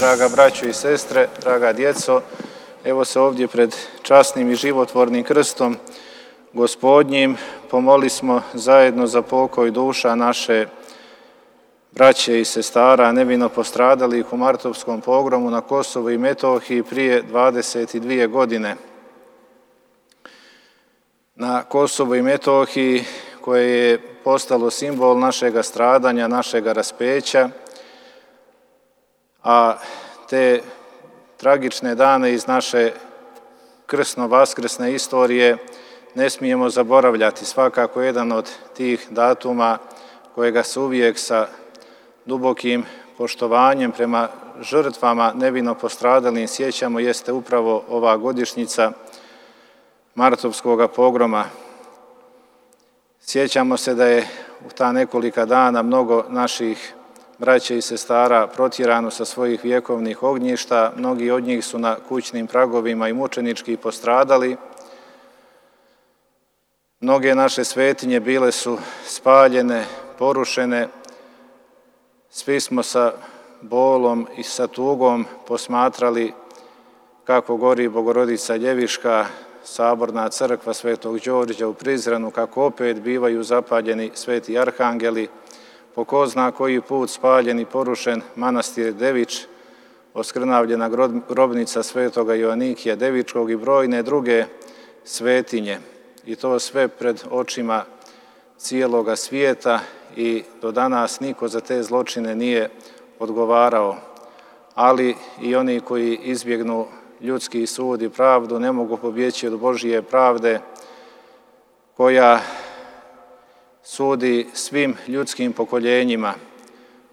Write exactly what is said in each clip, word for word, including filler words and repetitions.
draga braćo i sestre, draga djeco, evo se ovdje pred časnim i životvornim krstom Gospodnjim pomoli smo zajedno za pokoj duša naše braće i sestara nevino postradalih u martovskom pogromu na Kosovu i Metohiji prije dvadeset dvije godine. Na Kosovu i Metohiji koje je postalo simbol našega stradanja, našega raspeća, a te tragične dane iz naše krsno-vaskrsne istorije ne smijemo zaboravljati. Svakako jedan od tih datuma kojega se uvijek sa dubokim poštovanjem prema žrtvama nevino postradalim sjećamo jeste upravo ova godišnjica martovskog pogroma. Sjećamo se da je u ta nekolika dana mnogo naših braće i sestara protjerano sa svojih vjekovnih ognjišta, mnogi od njih su na kućnim pragovima i mučenički postradali. Mnoge naše svetinje bile su spaljene, porušene. Svi smo sa bolom i sa tugom posmatrali kako gori Bogorodica Ljeviška, saborna crkva Svetog Đorđa u Prizrenu, kako opet bivaju zapaljeni sveti arhangeli, po ko zna koji put spaljen i porušen manastir Devič, oskrnavljena grobnica svetoga Joanikija Devičkog i brojne druge svetinje. I to sve pred očima cijeloga svijeta i do danas niko za te zločine nije odgovarao. Ali i oni koji izbjegnu ljudski sud i pravdu ne mogu pobjeći od Božije pravde koja sudi svim ljudskim pokoljenjima,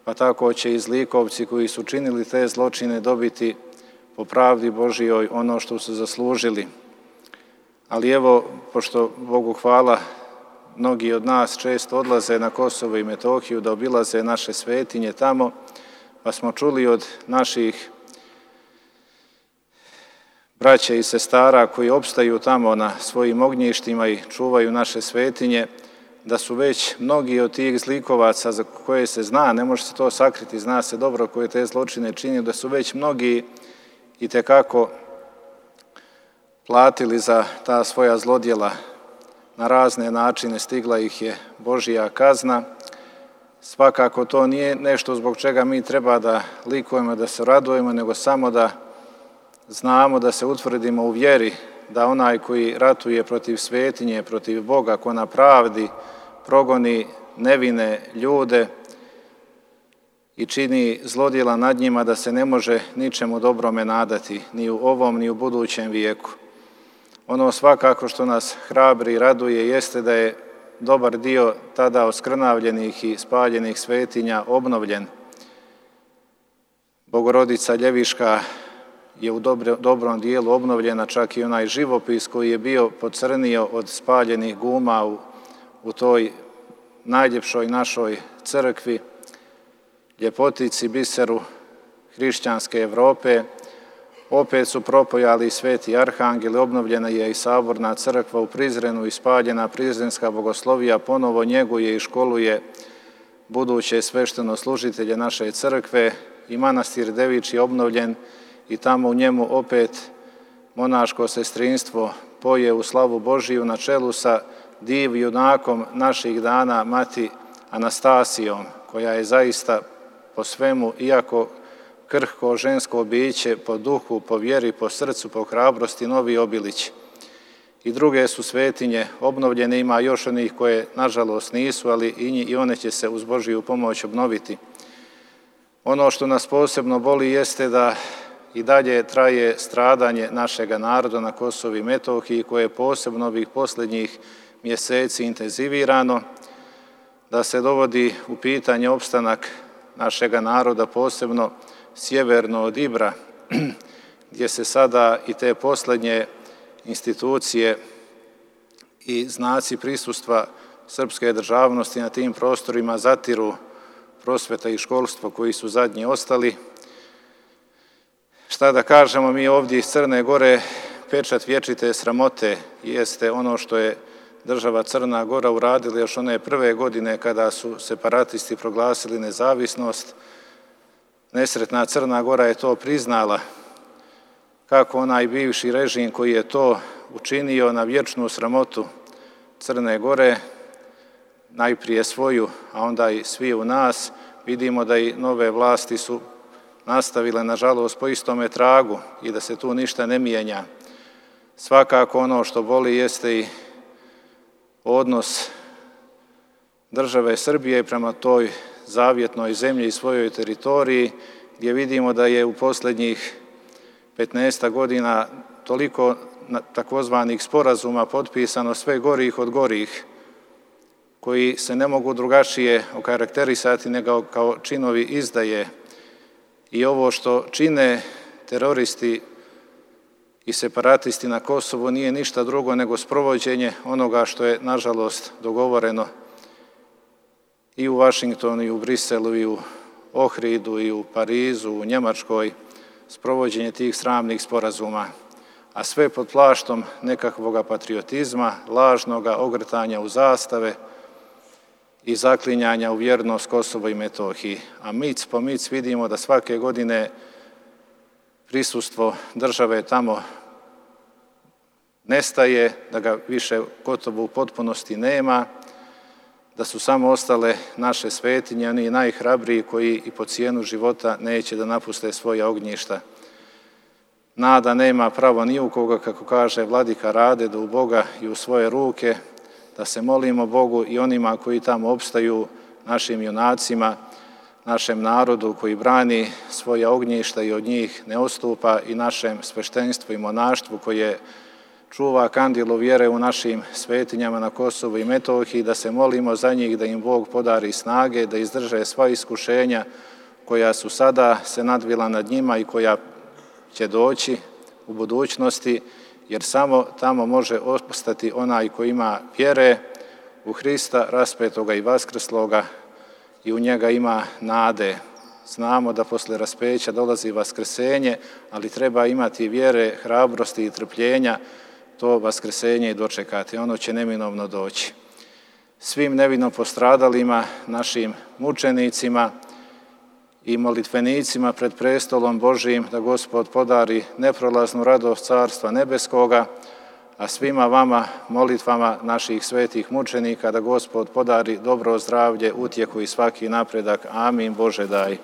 pa tako će i zlikovci koji su činili te zločine dobiti po pravdi Božijoj ono što su zaslužili. Ali evo, pošto Bogu hvala, mnogi od nas često odlaze na Kosovo i Metohiju da obilaze naše svetinje tamo, pa smo čuli od naših braća i sestara koji opstaju tamo na svojim ognjištima i čuvaju naše svetinje, da su već mnogi od tih zlikovaca za koje se zna, ne može se to sakriti, zna se dobro koje te zločine čini, da su već mnogi itekako platili za ta svoja zlodjela. Na razne načine stigla ih je Božija kazna. Svakako to nije nešto zbog čega mi treba da likujemo, da se radujemo, nego samo da znamo, da se utvrdimo u vjeri, da onaj koji ratuje protiv svetinje, protiv Boga, ko na pravdi progoni nevine ljude i čini zlodjela nad njima, da se ne može ničemu dobrome nadati, ni u ovom, ni u budućem vijeku. Ono svakako što nas hrabri i raduje jeste da je dobar dio tada oskrnavljenih i spaljenih svetinja obnovljen. Bogorodica Ljeviška je u dobro, dobrom dijelu obnovljena, čak i onaj živopis koji je bio pocrnio od spaljenih guma u, u toj najljepšoj našoj crkvi, ljepotici, biseru hrišćanske Evrope. Opet su propojali sveti arhangeli, obnovljena je i saborna crkva u Prizrenu i spaljena prizrenska bogoslovija ponovo njeguje i školuje buduće sveštenoslužitelje naše crkve i manastir Devič je obnovljen i tamo u njemu opet monaško sestrinstvo poje u slavu Božiju na čelu sa div junakom naših dana, mati Anastasijom, koja je zaista po svemu, iako krhko žensko biće, po duhu, po vjeri, po srcu, po hrabrosti, novi obilić. I druge su svetinje obnovljene, ima još onih koje nažalost nisu, ali i one će se uz Božiju pomoć obnoviti. Ono što nas posebno boli jeste da i dalje traje stradanje našega naroda na Kosovu i Metohiji, koje je posebno ovih posljednjih mjeseci intenzivirano, da se dovodi u pitanje opstanak našega naroda, posebno sjeverno od Ibra, gdje se sada i te posljednje institucije i znaci prisustva srpske državnosti na tim prostorima zatiru prosveta i školstvo koji su zadnji ostali. Šta da kažemo, mi ovdje iz Crne Gore, pečat vječite sramote jeste ono što je država Crna Gora uradila još one prve godine kada su separatisti proglasili nezavisnost. Nesretna Crna Gora je to priznala, kako onaj bivši režim koji je to učinio na vječnu sramotu Crne Gore, najprije svoju, a onda i svi u nas. Vidimo da i nove vlasti su nastavile, nažalost, po istome tragu i da se tu ništa ne mijenja. Svakako ono što boli jeste i odnos države Srbije prema toj zavjetnoj zemlji i svojoj teritoriji, gdje vidimo da je u posljednjih petnaest godina toliko takozvanih sporazuma potpisano, sve gorih od gorih, koji se ne mogu drugačije okarakterisati nego kao činovi izdaje. I ovo što čine teroristi i separatisti na Kosovu nije ništa drugo nego sprovođenje onoga što je, nažalost, dogovoreno i u Vašingtonu, i u Briselu, i u Ohridu, i u Parizu, u Njemačkoj, sprovođenje tih sramnih sporazuma, a sve pod plaštom nekakvog patriotizma, lažnoga ogrtanja u zastave i zaklinjanja u vjernost Kosovo i Metohiji. A mic po mic vidimo da svake godine prisustvo države tamo nestaje, da ga više gotovo u potpunosti nema, da su samo ostale naše svetinje, oni najhrabriji koji i po cijenu života neće da napuste svoja ognjišta. Nada nema pravo ni u koga, kako kaže vladika Rade, da u Boga i u svoje ruke, da se molimo Bogu i onima koji tamo opstaju, našim junacima, našem narodu koji brani svoja ognjišta i od njih ne odstupa, i našem sveštenstvu i monaštvu koje čuva kandilu vjere u našim svetinjama na Kosovu i Metohiji, da se molimo za njih, da im Bog podari snage, da izdrže sva iskušenja koja su sada se nadvila nad njima i koja će doći u budućnosti, jer samo tamo može ostati onaj koji ima vjere u Hrista, raspetoga i vaskrsloga, i u njega ima nade. Znamo da posle raspeća dolazi vaskrsenje, ali treba imati vjere, hrabrosti i trpljenja to vaskrsenje i dočekati. Ono će neminovno doći. Svim nevino postradalima, našim mučenicima i molitvenicima pred prestolom Božijim, da Gospod podari neprolaznu radost Carstva nebeskoga, a svima vama molitvama naših svetih mučenika da Gospod podari dobro zdravlje, utjehu i svaki napredak. Amin. Bože daj.